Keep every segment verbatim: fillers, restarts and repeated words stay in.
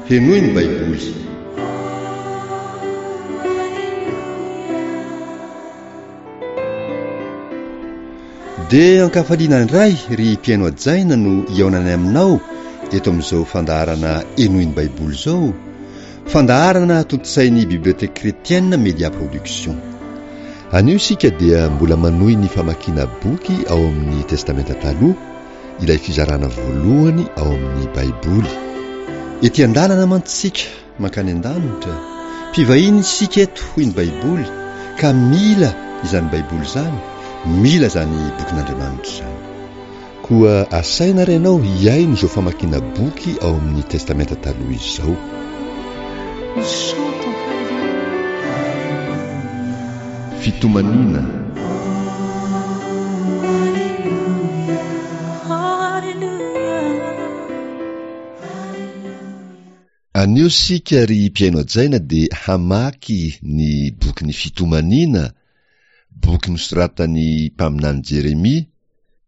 Henoy ny Baiboly. Dia ankafaliana indray ry mpihaino hajaina no hihaonanay aminao eto amin'izao fandaharana Henoy ny Baiboly izao, fandaharana tontosain'ny Bibliothèque Chrétienne Media Production. Anio isika dia mbola manohy ny famakiana boky ao amin'ny Testamenta Taloha, ilay fizarana voalohany ao amin'ny Baiboly. Ety an-dalana mantsy isika mankany an-danitra, mpivahiny isika eto hoy ny Baiboly, ka mila izany Baiboly izany, mila izany bokin'Andriamanitra izany. Koa asaina ary ianao hihaino izao famakiana boky ao amin'ny Testamenta Taloha izao. Fitomaniana. Anio isika ry mpihaino hajaina dia hamaky ny bokin'ny Fitomaniana, boky nosoratan'ny mpaminany Jeremia,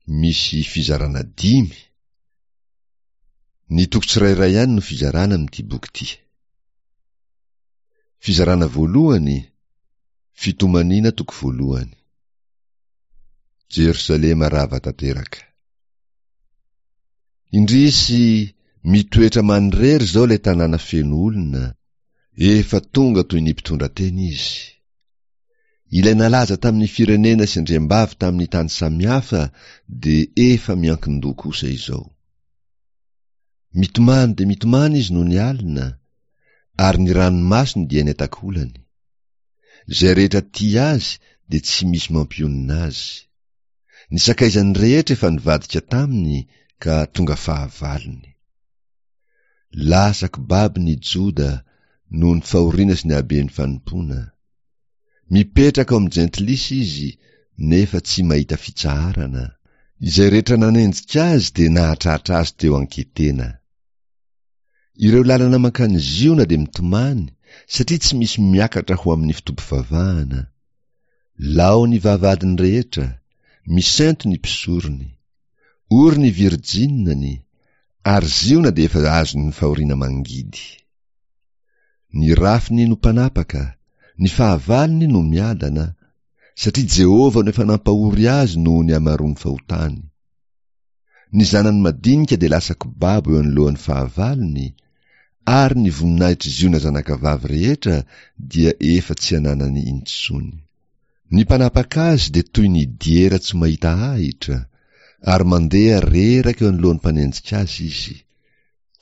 misy fizarana dimy. Ny toko tsirairay ihany no fizarana amin'ity boky ity. Fizarana voalohany, Fitomaniana toko voalohany. Jerosalema rava tanteraka. Indrisy, mitoetra manirery izao ilay tanàna feno olona, efa tonga toy ny mpitondra tena izy. Ilay nalaza tamin'ny firenena sy andriambavy tamin'ny tany samihafa dia efa miankin-doha kosa izao. Mitomany dia mitomany izy nony alina, ary ny ranomasony dia eny an-takolany. Izay rehetra tia azy dia tsy misy mampionona azy. Ny sakaizany rehetra efa nivadika taminy ka tonga fahavalony. Lasa kibabo ny Joda noho ny fahoriana sy ny haben'ny fanompoana. Mipetraka ao amin'ny jentilisa izy nefa tsy mahita fitsaharana. Izay rehetra nanenjika azy dia nahatratra azy teo an-ketena. Ireo lalana mankany Ziona dia mitomany satria tsy misy miakatra ho amin'ny fotoam-pivavahana. Lao ny vavahadiny rehetra, misento ny mpisorony. Ory ny virjinany, ary Ziona dia efa azon'ny fahoriana mangidy. Ny rafiny no mpanapaka, ny fahavalony no miadana, satria Jehovah no efa nampahory azy noho ny hamaroan'ny fahotany. Ny zanany madinika dia lasa kibabo eo anoloan'ny fahavalony, ary ny voninahitr'i Ziona zanakavavy rehetra dia efa tsy ananany intsony. Ny mpanapaka azy dia toy ny diera tsy mahita ahitra, ary mandeha reraka eo anoloan'ny mpanenjika azy izy.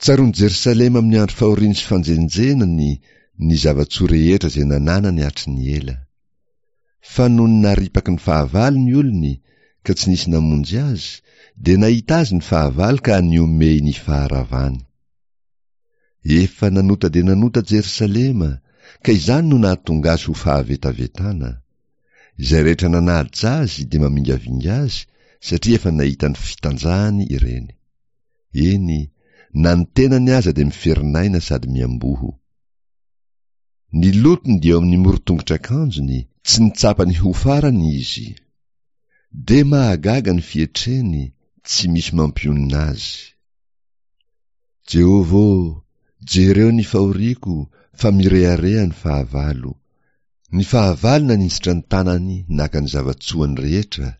Tsaroan'i Jerosalema amin'ny andro fahoriany sy fanjenjenany ny zava-tsoa rehetra izay nananany hatry ny ela. Fa nony naripaky ny fahavalo ny olony ka tsy nisy namonjy azy, dia nahita azy ny fahavalo ka nihomehy ny faharavany. Efa nanota dia nanota Jerosalema, ka izany no nahatonga azy ho fahavetavetana. Izay rehetra nanaja azy dia mamingavinga azy, satria efa nahita ny fitanjahany ireny. Eny, na ny tenany aza dia miferinaina sady miamboho. Ny lotony dia eo amin'ny moron-tongotr'akanjony, tsy nitsapa ny ho farany izy. Dia mahagaga ny fietreny, tsy misy mampionona azy. Jehovah ô, jereo ny fahoriako, fa mirehareha ny fahavalo. Ny fahavalo naninjitra ny tanany naka ny zava-tsoany rehetra,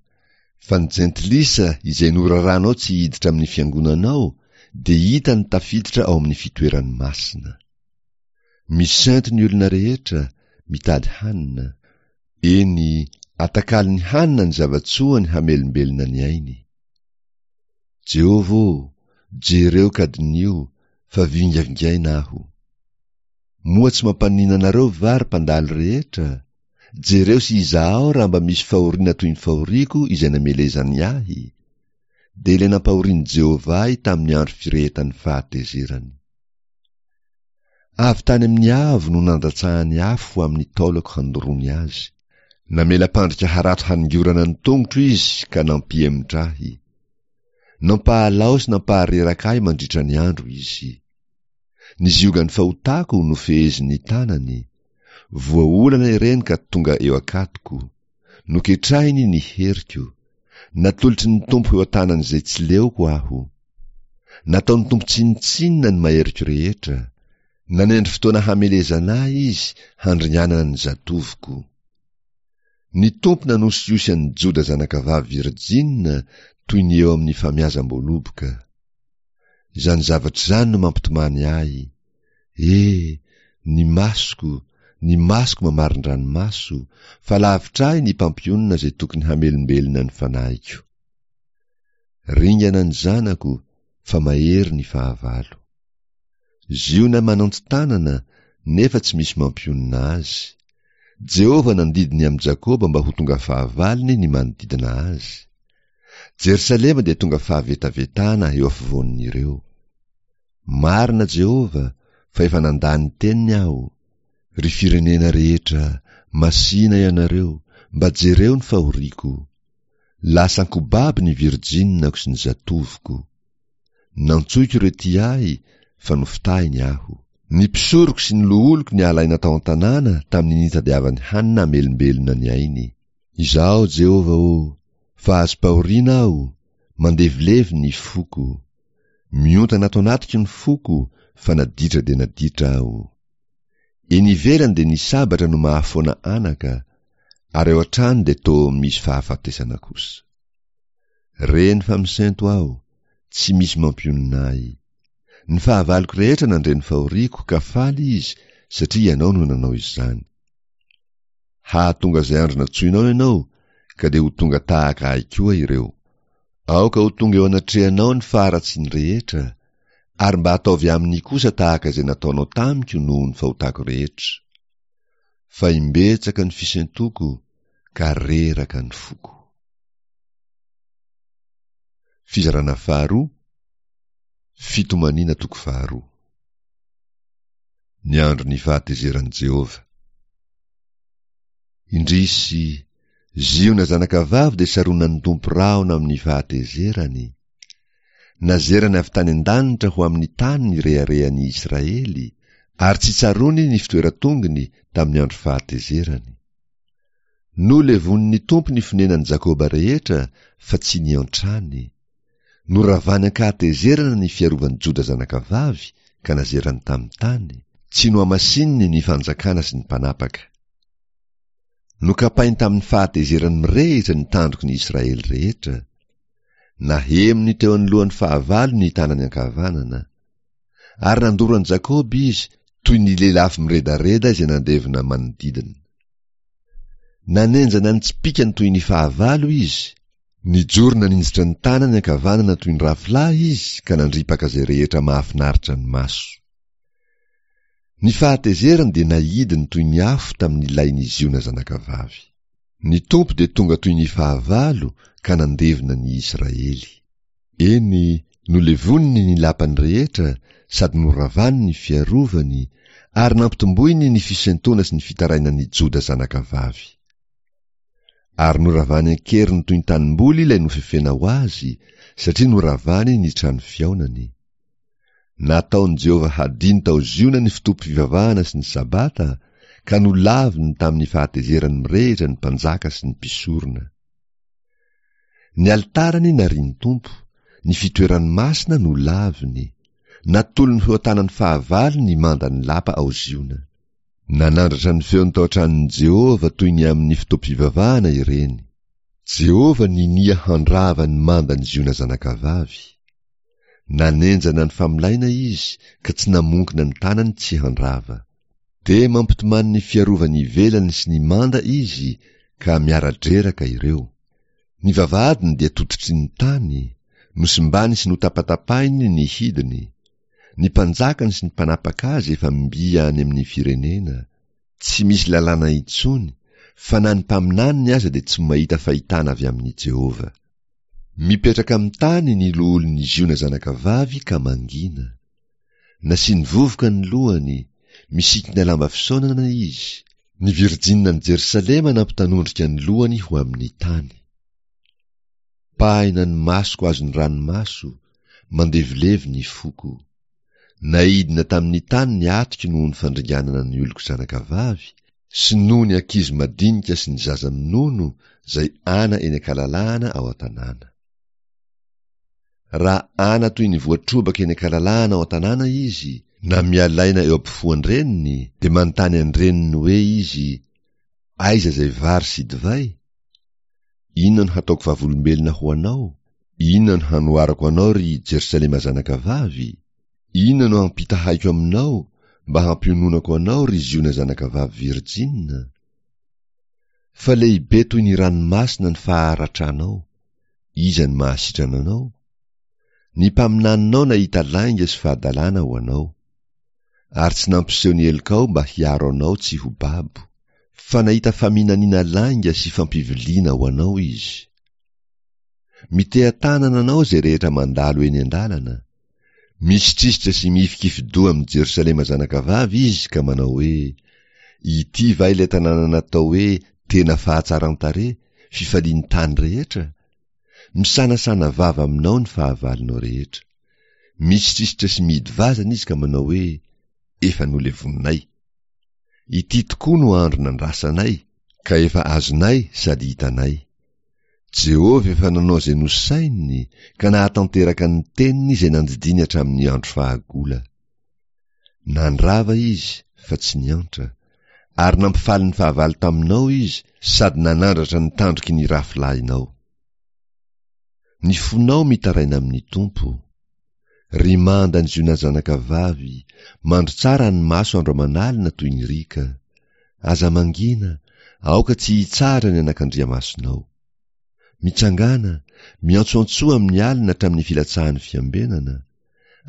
fa ny jentilisa izay noraranao tsy hiditra amin'ny fiangonanao dia hitany tafiditra ao amin'ny fitoerany masina. Misento ny olona rehetra, mitady hanina. Eny, atakalony hanina ny zava-tsoany hamelombelona ny ainy. Jehovah ô, jereo ka diniho, fa vingavingaina aho. Moa tsy mampaninona anareo va ry mpandalo rehetra? Jereo sy izahao raha mba misy fahoriana toy ny fahoriako izay namelezany ahy. Dia ilay nampahorian'i Jehovah ahy tamin'ny andro firehetan'ny fahatezerany. Avy tany amin'ny avo no nandatsahany afo ho amin'ny taolako handoroany azy. Namela mpandrika harato haningorana ny tongotro izy ka nampihemotra ahy. Nampahalao sy nampahareraka ahy mandritra ny andro izy. Ny ziogan'ny fahotako no fehezin'ny tanany. Voaolana ireny ka tonga eo an-katoko. Noketrahiny ny heriko. Natolotry ny Tompo eo an-tanan'izay tsy leoko aho. Nataon'ny Tompo tsinontsinona ny maheriko rehetra. Nanendry fotoana hamelezana ahy izy handringanana ny zatovoko. Ny Tompo nanosihosy an'i Joda zanakavavy virjina toy ny eo amin'ny famiazam-boaloboka. Izany zavatra izany no mampitomany ahy. E, ny masoko, ny masoko mamarin-dranomaso, fa lavitra ahy ny mpampionona izay tokony hamelombelona ny fanahiko. Ringana ny zanako, fa mahery ny fahavalo. Ziona mananton-tanana, nefa tsy misy mampionona azy. Jehovah nandidy ny amin'i Jakoba mba ho tonga fahavalony ny manodidina azy. Jerosalema dia tonga fahavetavetana eo afovoan'ireo. Marina Jehovah, fa efa nandà ny teniny aho. Ry firenena rehetra, masìna ianareo, mba jereo ny fahoriako. Lasa an-kobaby ny virjinako sy ny zatovoko. Nantsoiko ireo tia ahy, fa nofitahiny aho. Ny mpisoroko sy ny loholoko nialaina tao an-tanàna tamin'ny nitadiavany hanina hamelombelona ny ainy. Izaho, Jehovah ô, fa azom-pahoriana aho, mandevilevy ny foko. Miontana ato anatiko ny foko, fa naditra dia naditra aho. Eny ivelany dia ny sabatra no mahafoana anaka, ary ao an-trano dia toa misy fahafatesana kosa. Reny fa misento aho, tsy misy mampionona ahy. Ny fahavaloko rehetra nandre ny fahoriako ka faly izy satria ianao no nanao izany. Hahatonga izay andro nantsoinao ianao, ka dia ho tonga tahaka ahy koa ireo. Aoka ho tonga eo anatrehanao ny faharatsiany rehetra, ary mba ataovy aminy kosa tahaka izay nataonao tamiko noho ny fahotako rehetra. Fa imbetsaka ny fisentoko, ka reraka ny foko. Fizarana faharoa, Fitomaniana toko faharoa. Ny andron'ny fahatezeran'i Jehovah. Indrisy, Ziona zanakavavy dia saronan'ny Tompo rahona amin'ny fahatezerany. Nazerany avy tany an-danitra ho amin'ny tany ny reharehan'i Israely, ary tsy tsaroany ny fitoeran-tongony tamin'ny andro fahatezerany. Nolevonin'ny Tompo ny fonenan'i Jakoba rehetra fa tsy niantrany. Noravany an-kahatezerana ny fiarovan'i Joda zanakavavy ka nazerany tamin'ny tany, tsy nohamasininy ny fanjakana sy ny mpanapaka. Nokapainy tamin'ny fahatezerany mirehitra ny tandroky ny Israely rehetra. Nahemony teo anoloan'ny fahavalo ny tanany ankavanana. Ary nandoro an'i Jakoba izy toy ny lelafo miredareda izay nandevona manodidina. Nanenjana ny tsipìkany toy ny fahavalo izy, nijoro naninjitra ny tanany ankavanana toy ny rafilahy izy ka nandripaka izay rehetra mahafinaritra ny maso. Ny fahatezerany dia naidiny toy ny afo tamin'ny lain'i Ziona zanakavavy. Ny Tompo dia tonga toy ny fahavalo ka nandevona ny Israely. Eny, nolevoniny ny lapany rehetra sady noravany ny fiarovany ary nampitomboiny ny fisentoana sy ny fitarainan'i Joda zanakavavy. Ary noravany an-keriny toy ny tanimboly ilay nofefena ho azy, satria noravany ny trano fihaonany. Nataon'i Jehovah hadino tao Ziona ny fotoam-pivavahana sy ny Sabata, ka nolaviny tamin'ny fahatezerany mirehitra ny mpanjaka sy ny mpisorona. Ny alitarany narian'ny Tompo, ny fitoerany masina nolaviny, natolony ho eo an-tanan'ny fahavalo ny mandan'ny lapa ao Ziona. Nanandratra ny feony tao an-tranon'i Jehovah toy ny amin'ny fotoam-pivavahana ireny. Jehovah ninia handrava ny mandan'i Ziona zanakavavy. Nanenjana ny famolaina izy ka tsy namonkina ny tanany tsy handrava. Dia mampitomany ny fiarovany ivelany sy ny manda izy ka miara-dreraka ireo. Ny vavahadiny dia tototry ny tany, nosimbany sy notapatapahiny ny hidiny. Ny mpanjakany sy ny mpanapaka azy efa mby any amin'ny firenena. Tsy misy lalàna intsony, fa na ny mpaminaniny aza dia tsy mahita fahitana avy amin'i Jehovah. Mipetraka amin'ny tany ny loholon'i Ziona zanakavavy ka mangina. Nasiany vovoka ny lohany, misikina lamba fisaonana izy. Ny virjininan'i Jerosalema nampitanondrika ny lohany ho amin'ny tany. Pahina ny masoko azon'ny ranomaso, mandevilevy ny foko. Naidina tamin'ny tany ny atiko noho ny fandringanana ny oloko zanakavavy, sy noho ny ankizy madinika sy ny zaza minono izay ana eny an-kalalahana ao an-tanàna. Raha ana toy ny voatrobaka eny an-kalalahana ao an-tanàna izy, Na mialaina eo ampofoan-dreniny, dia manontany an-dreniny hoe izy, Aiza izay vary sy divay? Inona no hataoko vavolombelona ho anao? Inona no hanoharako anao, ry Jerosalema zanakavavy? Inona no hampitahaiko aminao, mba hampiononako anao, ry Ziona zanakavavy virjina? Fa lehibe toy ny ranomasina ny faharatranao. Iza no mahasitrana anao? Ny mpaminaninao nahita lainga sy fahadalana ho anao. Ary tsy nampiseho ny helokao mba hiaro anao tsy ho babo. Fa nahita faminaniana lainga sy fampiviliana ho anao izy. Miteha-tanana anao izay rehetra mandalo eny an-dalana. Misitrisitra sy mihifikifi-doha amin'i Jerosalema zanakavavy izy ka manao hoe, Ity va ilay tanàna natao hoe tena fahatsaran-tarehy, fifalian'ny tany rehetra? Misanasana vava aminao ny fahavalonao rehetra. Misitrisitra sy mihidy vazana izy ka manao hoe, Efa nolevoninay. Ity tokoa no andro nandrasanay, ka efa azonay sady hitanay. Jehovah efa nanao izay nosaininy ka nahatanteraka ny teniny izay nandidiany hatramin'ny andro fahagola. Nandrava izy fa tsy niantra, ary nampifaly ny fahavalo taminao izy sady nanandratra ny tandroky ny rafilahinao. Ny fonao mitaraina amin'ny Tompo. Ry manda ny Ziona zanakavavy, mandro tsara ny maso andro aman'alina toy ny riaka. Aza mangina, aoka tsy hitsahatra ny anakandriamasonao. Mitsangàna, miantsoantsoa amin'ny alina hatramin'ny filatsahan'ny fiambenana.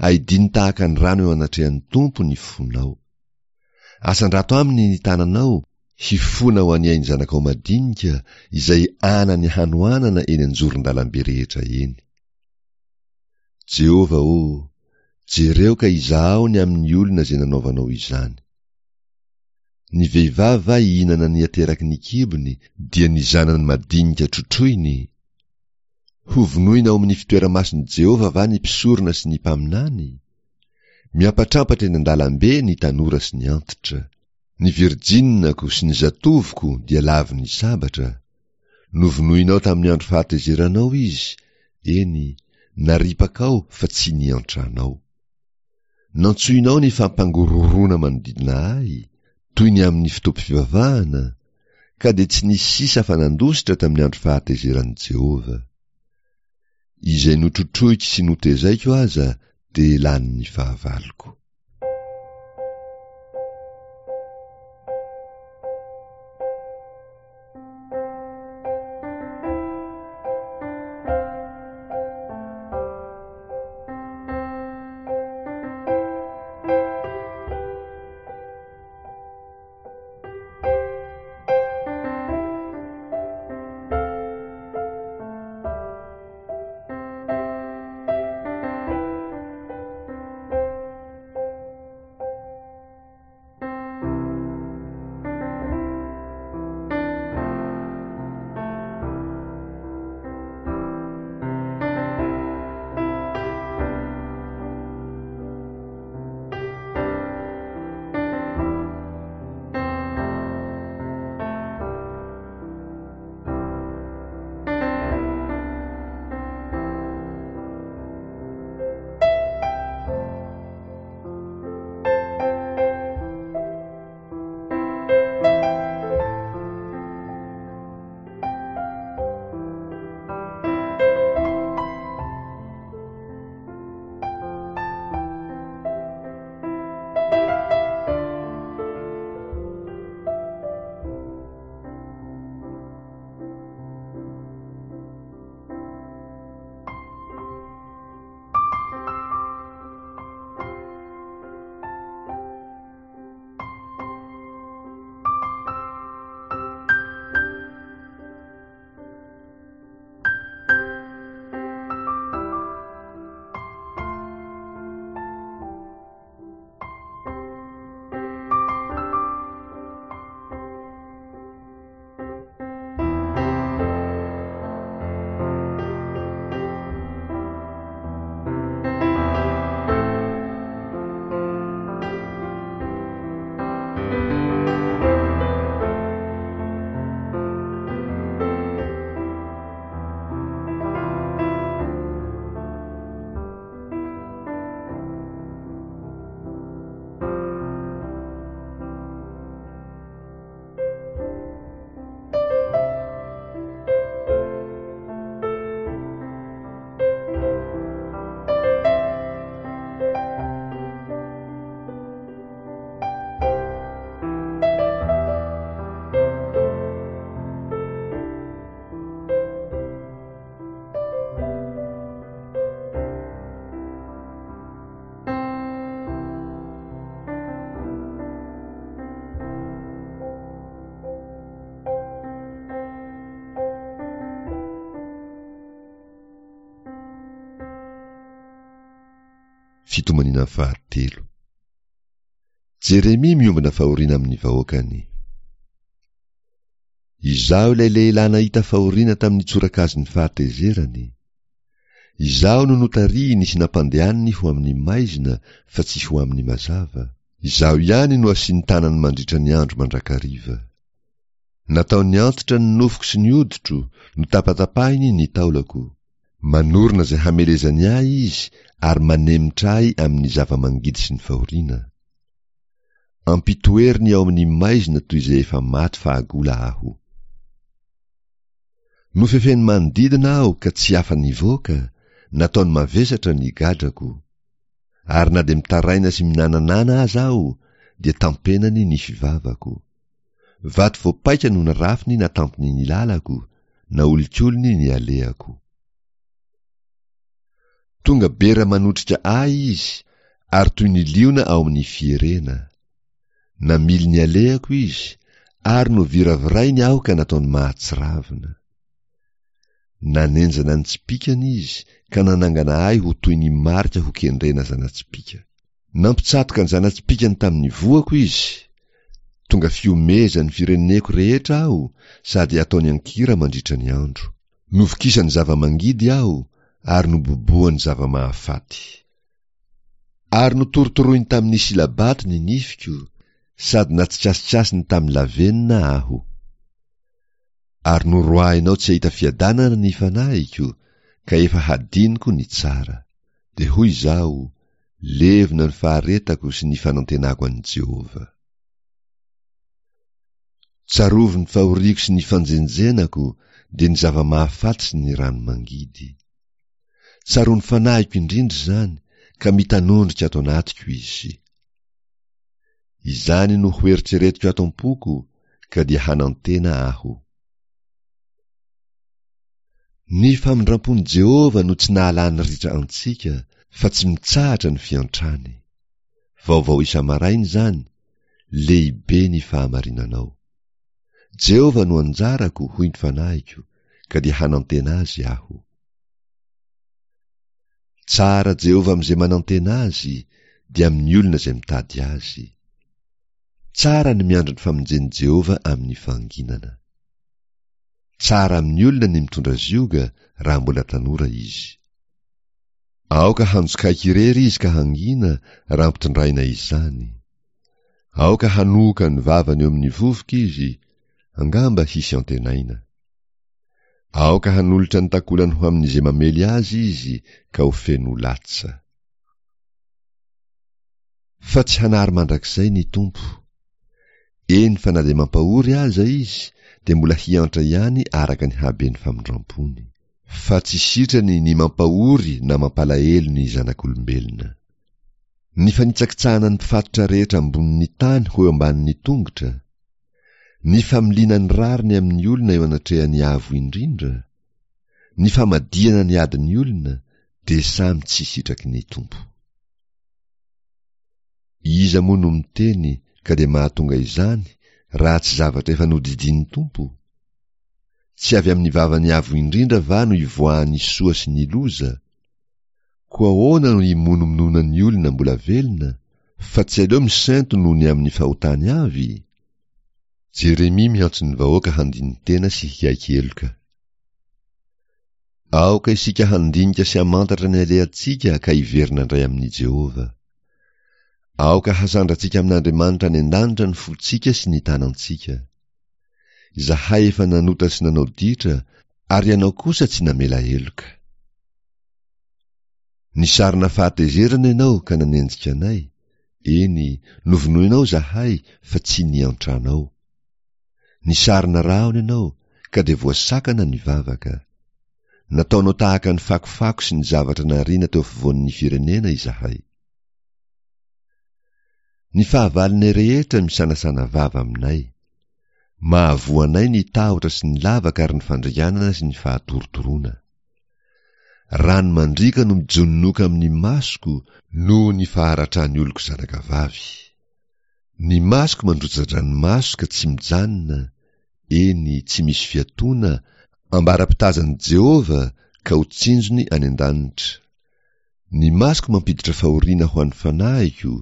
Aidino tahaka ny rano eo anatrehan'ny Tompo ny fonao. Asandrato aminy ny tananao, hifona ho an'ny ain'ny zanakao madinika izay anan'ny hanoanana eny an-joron-dalambe rehetra eny. Jehovah ô, jereo ka izahao ny amin'ny olona izay nanaovanao izany. Ny vehivavy va hihinana ny ateraky ny kibony, dia ny zanany madinika trotroiny? Hovonoina ao amin'ny fitoera-masin'i Jehovah va ny mpisorona sy ny mpaminany? Miampatrampatra eny an-dalambe ny tanora sy ny antitra. Ny virjinako sy ny zatovoko dia lavon'ny sabatra. Novonoinao tamin'ny andro fahatezeranao izy, eny, naripakao fa tsy niantranao. Nantsoinao ny fampangorohoroana manodidina ahy, toy ny amin'ny fotoam-pivavahana, ka dia tsy nisy sisa afa-nandositra tamin'ny andro fahatezeran'i Jehovah. Izay notrotroiko sy notezaiko aza dia lanin'ny fahavaloko. Fitomaniana fahatelo. Jeremia miombona fahoriana amin'ny vahoakany. Izaho ilay lehilahy nahita fahoriana tamin'ny tsorakazon'ny fahatezerany. Izaho no notarihiny sy nampandehaniny ho amin'ny maizina fa tsy ho amin'ny mazava. Izaho ihany no asiany tanany mandritra ny andro mandrakariva. Nataony antitra ny nofoko sy ny hoditro, notapatapahiny ny taolako. Manorina izay hamelezany ahy izy ary manemitra ahy amin'ny zava-mangidy sy ny fahoriana. Ampitoeriny ao amin'ny maizina toy izay efa maty fahagola aho. Nofefeny manodidina aho ka tsy afa-nivoaka, nataony mavesatra ny gadrako. Ary na dia mitaraina sy minananana aza aho, dia tampenany ny fivavako. Vato voapaika no narafiny natampiny ny lalako, naolikoliny ny alehako. Tonga bera manotrika ahy izy, ary toy ny liona ao amin'ny fierena. Namily ny alehako izy, ary noviravirainy aho ka nataony mahatsiravina. Nanenjana ny tsipìkany izy ka nanangana ahy ho toy ny marika ho kendrena zana-tsipìka. Nampitsatoka ny zana-tsipìkany tamin'ny voako izy. Tonga fihomezan'ny fireneko rehetra aho sady ataony an-kira mandritra ny andro. Novokisany zava-mangidy aho ary nobobohany zava-mahafaty. Ary notorotoroiny tamin'ny silabato ny nifiko sady natsikasikasiny tamin'ny lavenona aho. Ary noroahinao tsy hahita fiadanana ny fanahiko, ka efa hadinoko ny tsara. Dia hoy izaho, levona ny faharetako sy ny fanantenako an'i Jehovah. Tsarovy ny fahoriako sy ny fanjenjenako, dia ny zava-mahafaty sy ny rano mangidy. Tsaroan'ny fanahiko indrindra izany, ka mitanondrika ato anatiko izy. Izany no hoeritreretiko ato am-poko, ka dia hanantena aho. Ny famindrampon'i Jehovah no tsy nahalany ritra antsika, fa tsy mitsahatra ny fiantrany. Vaovao isa-maraina izany, lehibe ny fahamarinanao. Jehovah no anjarako, hoy ny fanahiko, ka dia hanantena azy aho. Tsara Jehovah amin'izay manantena azy, dia amin'ny olona izay mitady azy. Tsara ny miandry ny famonjen'i Jehovah amin'ny fahanginana. Tsara amin'ny olona ny mitondra zioga raha mbola tanora izy. Aoka hanjokaiky irery izy ka hangina raha ampitondraina izany. Aoka hanohoka ny vavany eo amin'ny vovoka izy, angamba hisy antenaina. Aoka hanolotra ny takolany ho amin'izay mamely azy izy ka ho feno latsa. Fa tsy hanary mandrakizay ny Tompo. Eny fa na dia mampahory aza izy, dia mbola hiantra ihany araka ny haben'ny famindrampony. Fa tsy sitrany ny mampahory na mampalahelo ny zanak'olombelona. Ny fanitsakitsahana ny mpifatotra rehetra ambonin'ny tany ho eo ambanin'ny tongotra, ny familiana ny rariny amin'ny olona eo anatrehan'ny Avo Indrindra, ny famadihana ny adin'ny olona, dia samy tsy sitraky ny Tompo. Iza moa no miteny ka dia mahatonga izany raha tsy zavatra efa nodidian'ny Tompo? Tsy avy amin'ny vavan'ny Avo Indrindra va no ivoahan'ny soa sy ny loza? Koa ahoana no himonomononan'ny olona mbola velona, fa tsy aleo misento noho ny amin'ny fahotany avy? Jeremia miantso ny vahoaka handini-tena sy hiaiky heloka. Aoka isika handinika sy hamantatra ny alehantsika ka hiverina indray amin'i Jehovah. Aoka hasandratsika amin'Andriamanitra any an-danitra ny fontsika sy ny tanantsika. Izahay efa nanota sy nanao ditra, ary ianao kosa tsy namela heloka. Nisarona fahatezerana ianao ka nanenjika anay, eny, novonoinao izahay fa tsy niantranao. Nisarona rahona ianao ka dia voasakana ny vavaka. Nataonao tahaka ny fakofako sy ny zavatra nariana teo afovoan'ny firenena izahay. Ny fahavalonay rehetra misanasana vava aminay. Mahavoa anay ny tahotra sy ny lavaka ary ny fandringanana sy ny fahatorotoroana. Rano mandriaka no mijononoka amin'ny masoko noho ny faharatran'ny oloko zanakavavy. Ny masoko mandrotsa-dranomaso ka tsy mijanona, eny, tsy misy fiatoana, ambara-pitazan'i Jehovah ka ho tsinjony any an-danitra. Ny masoko mampiditra fahoriana ho an'ny fanahiko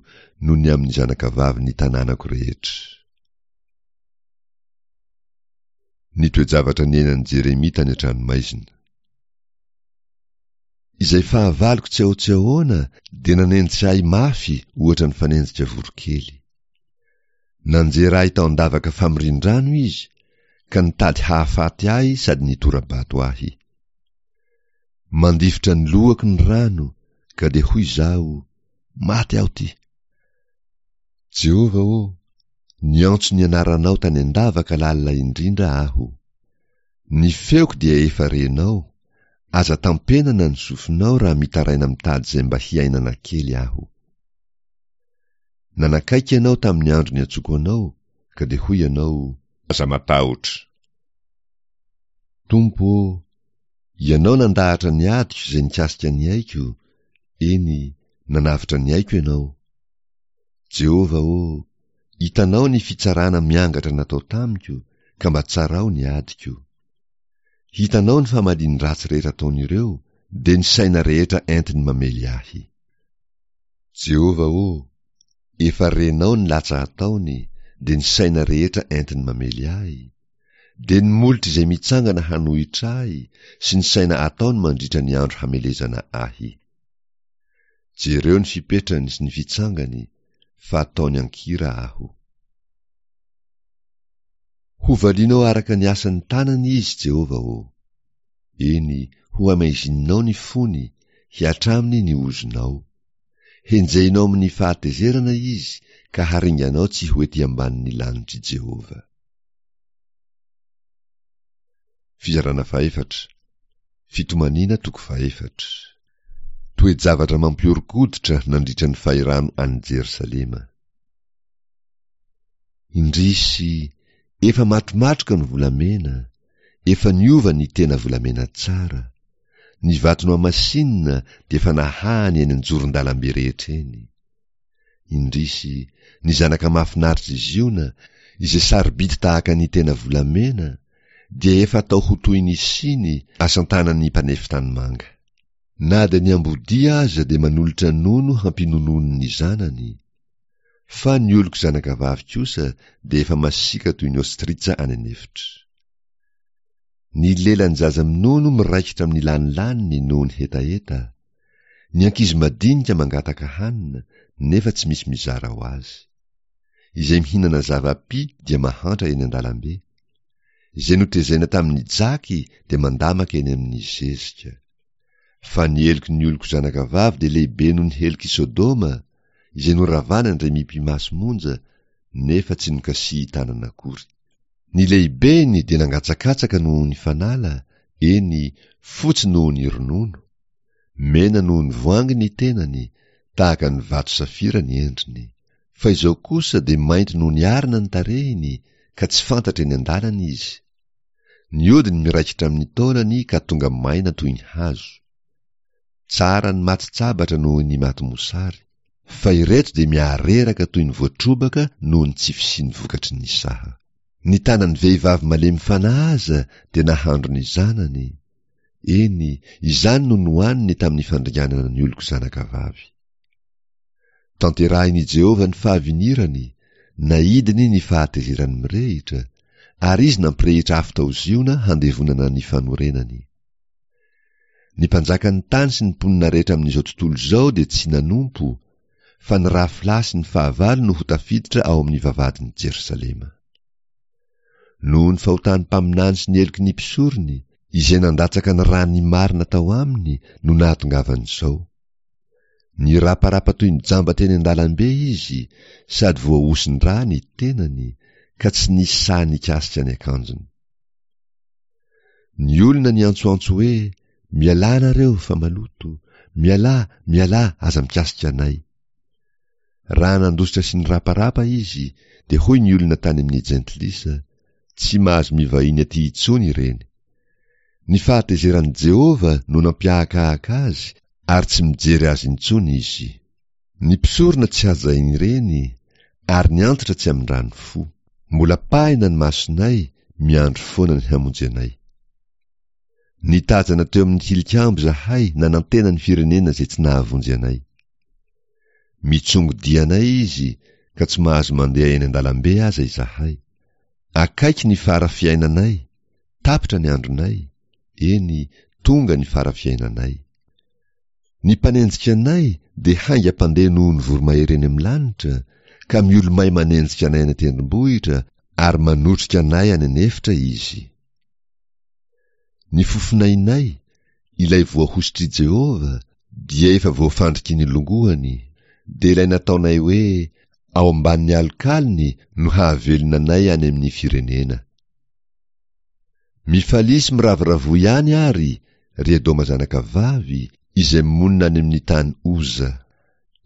noho ny amin'ny zanakavavin'ny tanànako rehetra. Ny toe-javatra niainan'i Jeremia tany an-tranomaizina. Izay fahavaloko tsy ao tsy ahoana dia nanenjika ahy mafy ohatra ny fanenjika voronkely. Nanjera ahy tao an-davaka famorin-drano izy, ka nitady hahafaty ahy sady nitora-bato ahy. Mandifotra ny lohako ny rano, ka dia hoy izaho, Maty aho ty! Jehovah ô, niantso ny anaranao tany an-davaka lalina indrindra aho. Ny feoko dia efa renao, aza tampenana ny sofinao raha mitaraina mitady izay mba hiainana kely aho. Nanakaiky ianao tamin'ny andro niantsoko anao, ka dia hoy ianao, Aza matahotra. Tompo ô, Ianao nandahatra ny adiko izay nikasika ny aiko, eny, nanavotra ny aiko Ianao. Jehovah ô, hitanao ny fitsarana miangatra natao tamiko, ka mba tsarao ny adiko. Hitanao ny famalian'ny ratsy rehetra ataon'ireo, dia ny saina rehetra entiny mamely ahy. Jehovah ô, efa renao ny latsa ataony, dia ny saina rehetra entiny mamely ahy, dia ny molotra izay mitsangana hanohitra ahy sy ny saina ataony mandritra ny andro hamelezana ahy. Jereo ny fipetrany sy ny fitsangany, fa ataony an-kira aho. Hovalianao araka ny asan'ny tanany izy, Jehovah ô. Eny, hohamaizininao ny fony, hihatra aminy ny ozonao. Henjehinao amin'ny fahatezerana izy, ka haringanao tsy ho ety ambanin'ny lanitr'i Jehovah. Fizarana fahefatra. Fitomaniana toko fahefatra. Toe-javatra mampihoron-koditra nandritra ny fahirano any Jerosalema. Indrisy, efa matromatroka ny volamena, efa niova ny tena volamena tsara. Ny vato nohamasinina dia efa nahahany eny an-joron-dalambe rehetra eny. Indrisy, ny zanaka mahafinaritr'i Ziona, izay sarobidy tahaka ny tena volamena, dia efa atao ho toy ny siny asan-tanan'ny mpanefy tanimanga. Na dia ny ambodia aza dia manolotra nono hampinonoany ny zanany. Fa ny oloko zanakavavy kosa dia efa masiaka toy ny ostritsa any an'efitra. Ny lelan'ny zaza minono miraikitra amin'ny lanilaniny noho ny hetaheta. Ny ankizy madinika mangataka hanina, nefa tsy misy mizara ho azy. Izay mihinana zava-py dia mahantra eny an-dalambe. Izay notezaina tamin'ny jaky dia mandamaka eny amin'ny zezika. Fa ny heloky ny oloko zanakavavy dia lehibe noho ny helok'i Sodoma, izay noravana indray mipi-maso monja, nefa tsy nokasihin-tanana akory. Ny lehibeny dia nangatsakatsaka noho ny fanala, eny, fotsy noho ny ronono. Mena noho ny voangy ny tenany, tahaka ny vato safira ny endriny. Fa izao kosa dia mainty noho ny arina ny tarehiny, ka tsy fantatra eny an-dalana izy. Ny hodiny miraikitra amin'ny taolany ka tonga maina toy ny hazo. Tsara ny maty tsabatra noho ny maty mosary. Fa ireto dia mihareraka toy ny voatrobaka noho ny tsy fisian'ny vokatry ny saha. Ny tanan'ny vehivavy malemy fanahy aza dia nahandro ny zanany. Eny, izany no nohaniny tamin'ny fandringanana ny oloko zanakavavy. Tanterahin'i Jehovah ny fahavinirany, naidiny ny fahatezerany mirehitra, ary izy nampirehitra afo tao Ziona handevonana ny fanorenany. Ny mpanjakan'ny tany sy ny mponina rehetra amin'izao tontolo izao dia tsy nanompo, fa ny rafilahy sy ny fahavalo no ho tafiditra ao amin'ny vavahadin'i Jerosalema. Noho ny fahotan'ny mpaminany sy ny heloky ny mpisorony, izay nandatsaka ny ran'ny marina tao aminy no nahatongavan'izao. Niraparapa toy ny jamba teny an-dalambe izy, sady voahosin-drà ny tenany, ka tsy nisy sahy nikasika ny akanjony. Ny olona niantsoantso hoe, Mialà nareo fa maloto, mialà, mialà, aza mikasika anay. Raha nandositra sy niraparapa izy, dia hoy ny olona tany amin'ny jentilisa, Tsy mahazo mivahiny aty intsony ireny. Ny fahatezeran'i Jehovah no nampiahakahaka azy, ary tsy mijery azy intsony izy. Ny mpisorona tsy hajain'ireny, ary ny antitra tsy amindrany fo. Mbola pahina ny masonay, miandry foana ny hamonjy anay. Nitazana teo amin'ny tilikambo izahay nanantena ny firenena izay tsy nahavonjy anay. Mitsongo-dia anay izy ka tsy mahazo mandeha eny an-dalambe aza izahay. Akaiky ny fara fiainanay, tapitra ny andronay, eny, tonga ny fara fiainanay. Ny mpanenjika anay dia haingam-pandeha noho ny voromahery eny amin'ny lanitra, ka miolomay manenjika anay any an-tendrombohitra ary manotrika anay any an'efitra izy. Ny fofonainay, ilay voahosotr'i Jehovah, dia efa voafandriky ny longoany, dia ilay nataonay hoe ao ambanin'ny alokalony no hahavelona anay any amin'ny firenena. Mifalia sy miravoravoa ihany ary, ry Edoma zanakavavy, izay monina any amin'ny tany Oza.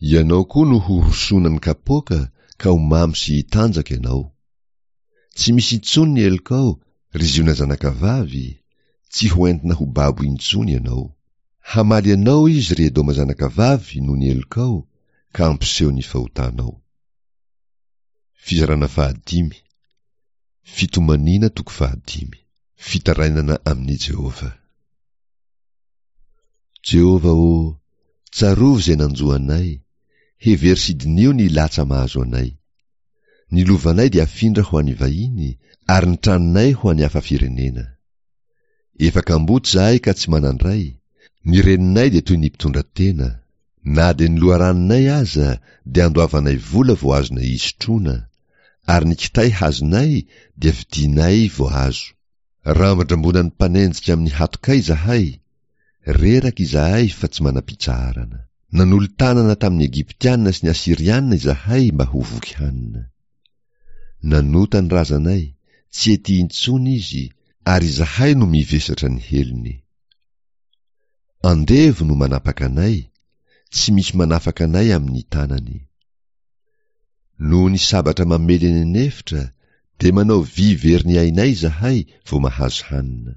Ianao koa no hohosonan'ny kapoaka ka ho mamo sy hitanjaka ianao. Tsy misy intsony ny helokao, ry Ziona zanakavavy, tsy ho entina ho babo intsony ianao. Hamaly anao izy, ry Edoma zanakavavy, noho ny helokao, ka hampiseho ny fahotanao. Fizarana fahadimy. Fitomaniana toko fahadimy. Fitarainana amin'i Jehovah. Jehovah ô, tsarovy izay nanjo anay, hevero sy diniho ny latsa mahazo anay. Ny lovanay dia afindra ho an'ny vahiny, ary ny tranonay ho an'ny hafa firenena. Efa kamboty izahay ka tsy manan-dray, ny reninay dia toy ny mpitondra tena. Na dia ny loharanonay aza dia andoavanay vola vao azonay isotroana, ary ny kitay hazonay dia vidianay vao azo. Rambodrambonan'ny mpanenjika amin'ny hatokay izahay, reraka izahay fa tsy manam-pitsaharana. Nanolo-tanana tamin'ny Egyptiana sy ny Asyriana izahay mba ho voky hanina. Nanota ny razanay, tsy ety intsony izy, ary izahay no mivesatra ny helony. Andevo no manapaka anay, tsy misy manafaka anay amin'ny tanany. Noho ny sabatra mamely eny an'efitra, dia manao vy very ny ainay izahay vao mahazo hanina.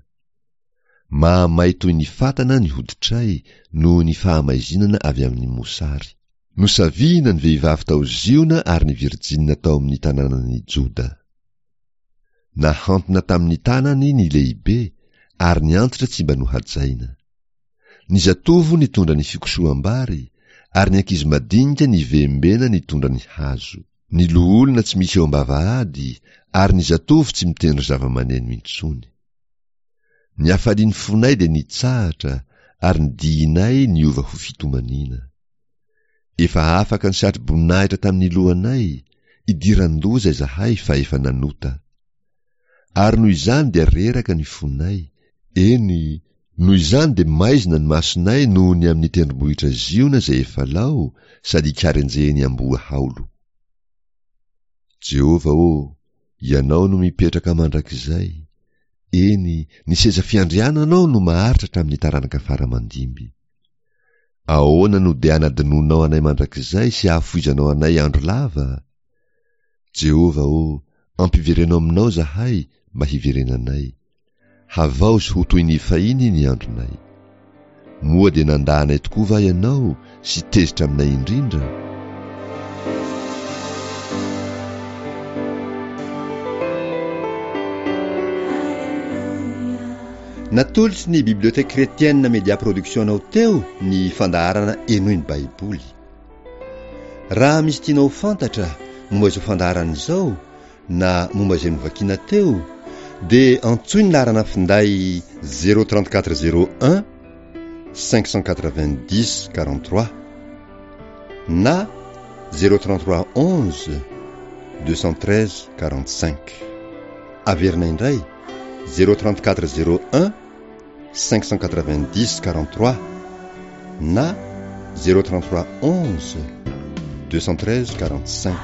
Mahamay toy ny fatana ny hoditray noho ny fahamaizinana avy amin'ny mosary. Nosavihina ny vehivavy tao Ziona ary ny virjinina tao amin'ny tanànan'i Joda. Nahantona tamin'ny tanany ny lehibe ary ny antitra tsy mba nohajaina. Ny zatovo nitondra ny fikosoham-bary ary ny ankizy madinika nivembena nitondra ny hazo. Ny loholona tsy misy eo am-bavahady ary ny zatovo tsy mitendry zava-maneno intsony. Ny hafalian'ny fonay dia nitsahatra ary ny dihinay niova ho fitomaniana. Efa afaka ny satro-boninahitra tamin'ny lohanay, idiran-doza izahay fa efa nanota. Ary noho izany dia reraka ny fonay, eny, noho izany dia maizina ny masonay noho ny amin'ny tendrombohitra Ziona izay efa lao sady ikarenjehin'ny amboa haolo. Jehovah ô, Ianao no mipetraka mandrakizay, eny, ny seza fiandriananao no maharitra hatramin'ny taranaka fara mandimby. Ahoana no dia anadinoanao anay mandrakizay sy ahafoizanao anay andro lava? Jehovah ô, ampivereno aminao izahay mba hiverenanay. Havaozy ho toy ny fahiny ny andronay. Moa dia nandà anay tokoa va ianao sy tezitra aminay indrindra? Natolotry ny Bibliothèque Chrétienne Media Production anao teo ny fandaharana Henoy ny Baiboly. Raha misy tianao ho fantatra momba izao fandaharana izao na momba izay novakiana teo, dia antsoy ny laharana finday zéro trente-quatre zéro un cinq cent quatre-vingt-dix quarante-trois na zéro trente-trois onze deux cent treize quarante-cinq. Averina indray zéro trente-quatre zéro un cinq cent quatre-vingt-dix quarante-trois na zéro trente-trois onze deux cent treize quarante-cinq.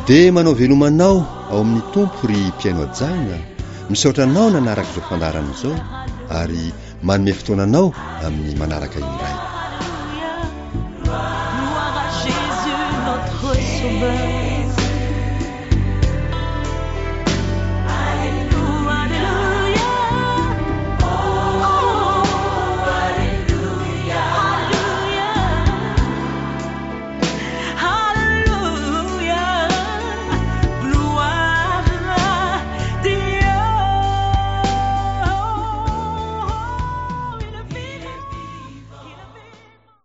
Dia manao veloma anao ao amin'ny Tompo ry mpihaino hajaina, misaotra anao nanaraka izao fandaharana izao ary manome fotoana anao amin'ny manaraka indray. Gloire à Jésus, notre Sauveur.